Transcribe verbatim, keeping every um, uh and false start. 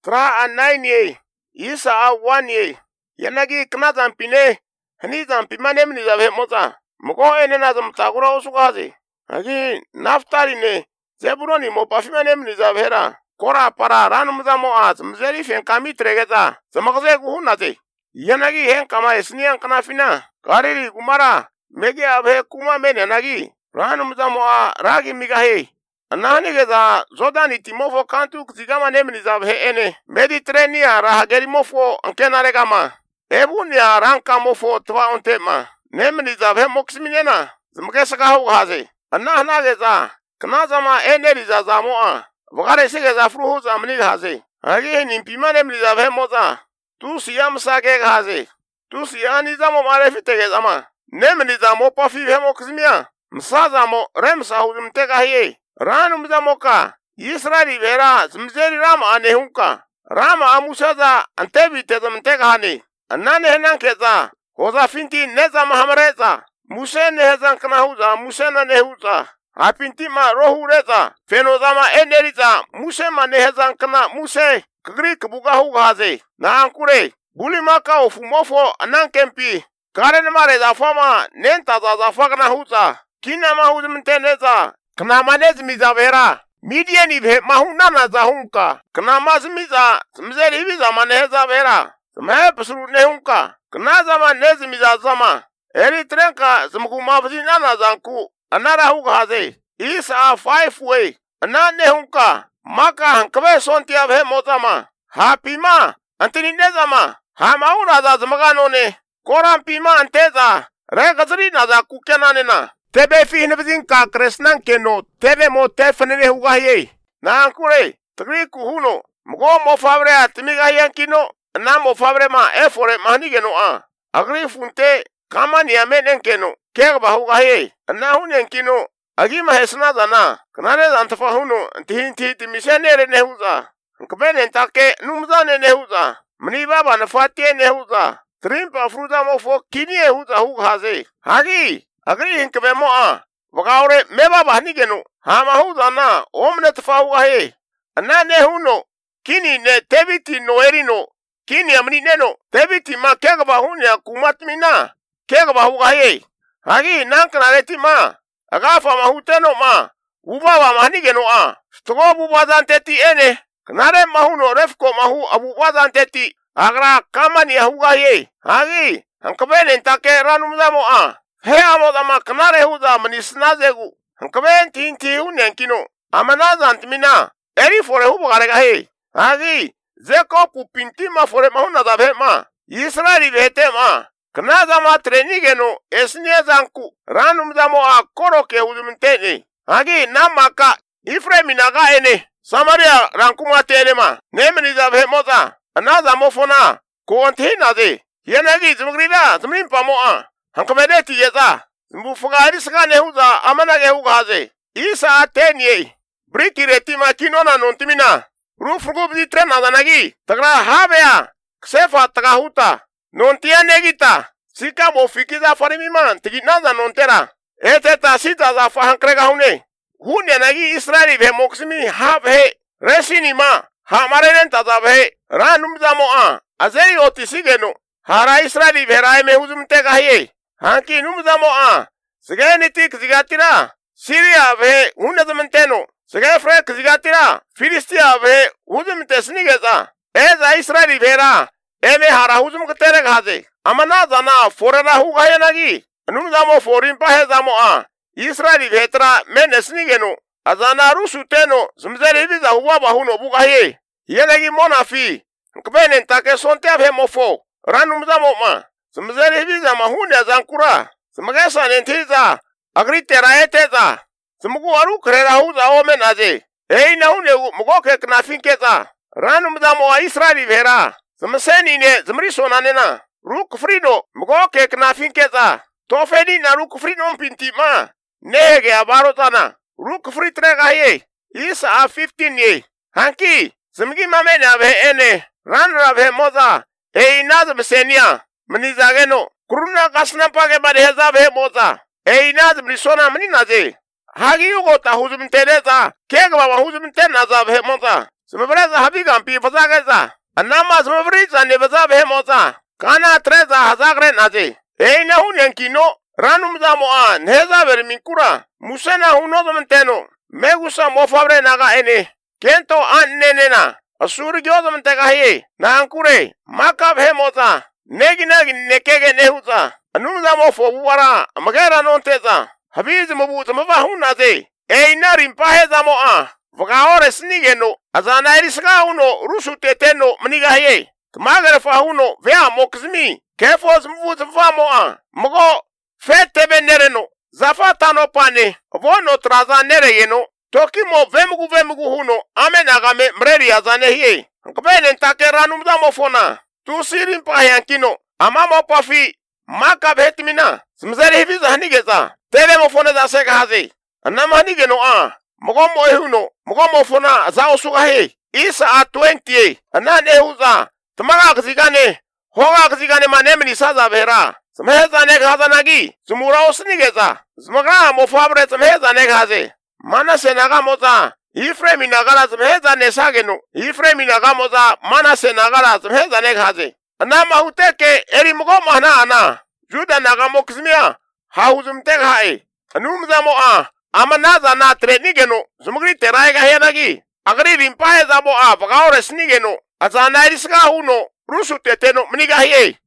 Tra a nine ye. Isa a one ye. Yanagi kna zampine. Hani zampi manem ni zabe moza. Mko ene na zamtakura usukazi. Agi naftali ne. Zeburoni mo pafimanem ni zabera. Kora para ranu mzamo az. Mzeri fen kami tregeza. Zamakze kuhunaze. Yanagi hen kama esniyan kanafina. Kariri kumara. Mege abhe kuma mene nagi. Ranu mzamo a ragi migahe. Anani geza zodani timofo kantu kzigama nemni zabhe ene. Mediterania rahageri mofo ankena regama. Ebuni a ranka mofo twa ontema. Nemni zabhe moksminena. Zmkesa kahu haze. Anahna geza. Knazama ene liza zamoa. Vagare se geza fruhu zamni haze. Agi nimpima nemni zabhe moza. Tu siyam sake haze. Tu siyani zamo marefite gezama. Nemni zamo pafi hemo kzmia. Msazamo remsa huzmteka hiye. Ranu mzamoka. Israeli vera zmzeri rama anehunka. Rama amusaza antebi tezamteka hani. Anane henan keza. Hoza finti neza mahamareza. Muse nehezan knahuza. Muse na nehuza. Apinti ma rohu reza. Fenozama eneriza. Muse ma nehezan kna. Muse kagri kabuga hugaze. Na ankure. Buli maka ofumofo anankempi. Karen mare za fama. Nenta za za fakna huza. Kina mahuz mteneza. Kna manez mizavera. Media ni ve mahuna na za hunka. Kna mazmiza. Mzeri viza maneza vera. Zmhe pasuru nehunka. Kna zama nez miza zama. Eri trenka zmku mafzina na zanku. Anara hugaze. Isa five way. Ana nehunka. Maka hankwe sonti abhe mozama. Ha pima. Antini nezama. Ha mauna za zmaganone. Koran pima anteza. Regazri na za kukenanena. Tebe fihnevzin ka kresnan keno. Tebe mo tefnene hugaye. Na ankure. Tagri kuhuno. Mgo mo fabre atimigayan kino. Na mo fabre ma efore mahnigeno a. Agri funte. Kama ni amenen keno. Kegba hugaye. Na hunen kino. Agi mahesna zana. Kanare zantafa huno. Antihinti timishenere nehuza. Nkabene ntake numzane nehuza. Mni baba nafatie nehuza. Trimpa fruza mofo kinie huza hugaze. Hagi. Agri hinkbe mo a. Wakaure meba bahni geno. Hama huza na. Omne tafa hugahe. Ana nehuno. Kini ne tebiti no erino. Kini amni neno. Tebiti ma kegba hunya kumatmina. Kegba hugahe. Hagi nankanareti ma. Agafa mahuteno ma. Ubaba mahni geno a. Stogo bubazan teti ene. Kanare mahuno refko mahu abubazan teti. Agra kamani hugahe. Hagi. Hankabene ntake ranumzamo a. He amo dama kanare huza manisnazegu. Hankaben tinti hunenkino. Amanaza antmina. Eri fore hubo garega he. Hagi. Zeko kupintima fore mahuna zabe ma. Israeli vete ma. Knaza ma trenigeno esnie zanku. Ranum zamo a koroke huzumtene. Hagi namaka. Ifremi naga ene. Samaria rankuma tene ma. Nemeni zabe moza. Anaza mofona. Kuontina ze. Yenagi zmugrida zmrimpa mo a. Hankamedeti yeza. Mbufugari saka nehuza amanage hugaze. Isa tenye. Briki retima kinona nontimina. Rufugu bzi trena zanagi. Tagra habea. Ksefa tagahuta. Nontia negita. Sika mofikiza farimiman. Tiginaza nontera. Eteta sita za fahankrega hune. Hune nagi Israeli ve moksimi habe. Resini ma. Hamarenen tazabe. Ranum zamoa. Azeri otisigeno. Hara Israeli ve raime huzumtega hiye. Hanki numzamo a. Sige niti kzigatira. Syria ve unazamanteno. Sige fre kzigatira. Filistia ve huzumtesnigeza. Eza Israeli vera. Eme hara huzum katere gaze. Amana zana forera hugayanagi. Numzamo forimpa hezamo a. Israeli vetra menesnigeno. Azana rusu teno. Zmzeri viza huwa bahuno bugaye. Yenagi monafi. Nkbenen take sonte abhe mofo. Ranumzamo ma. Zmzeri viza mahune zankura. Zmagesa nentiza. Agri teraeteza. Zmugu aru krera huza omenaze. Ei na hune mugoke knafinkeza. Ranu mzamo wa Israeli vera. Zmseni ne zmrisona nena. Ruk frido mugoke knafinkeza. Tofedi na ruk frido mpintima. Nege abarotana. Ruk fritrega ye. Isa a fifteen ye. Hanki. Zmgi mamene abe ene. Ranra be moza. Ei na zmsenia. Manizageno. Kuruna kasna pake bade hezabe moza. Ei nazm risona maninaze. Hagi yugo ta huzum tereza. Kega baba huzum tenaza be moza. Smabreza habigan pi fazageza. Anama smabrizan ne bazabe moza. Kana treza hazagre naze. Ei na hunyan kino. Ranum zamoa neza verminkura. Musena huno zamanteno. Megusa mofabre naga ene. Kento an nenena. Asuri gyoza mantega hiye. Na ankure. Makab he moza. Negi negi nekege nehuza. Anum zamo fobuwara. Magera non teza. Habiz mabuza mabahunaze. Ei na rimpahe zamoa. Vagaore snigeno. Azana eriska uno rusu teteno maniga hiye. Tmagare fahuno vea mokzmi. Kefos mvuza famoa. Mago fete benereno. Zafatano pane. Vono traza nereyeno. Tokimo vemugu vemugu huno. Amenagame mreri azane hiye. Nkabene ntake ranum zamo fona. Tu sirin pahayankino. Amamo pafi. Maka behetmina. Smzeri hiviza hanigeza. Tele mo fona za seka hazi. Anama hanigeno a. Mogomo ehuno. Mogomo fona za osuga he. Isa a twenty. Anan ehuza. Tamaga kzigane. Hoga kzigane manemni saza behra. Smheza nek haza nagi. Zumura osnigeza. Zmagra mo fabre smheza nek haze. Mana senaga moza. Ifremi nagala smheza nesageno. Ifremi naga moza. Mana senagala smheza nek haze. Anama huteke eri mogomo hana ana. Juda naga mokzmia. Hauzum tek hae. Anumza mo a. Amanaza na trenigeno. Zumugri teraiga henagi. Agri rimpahe zabo a. Vagaore snigeno. Azana eriska huno. Rusu teteno mniga hiye.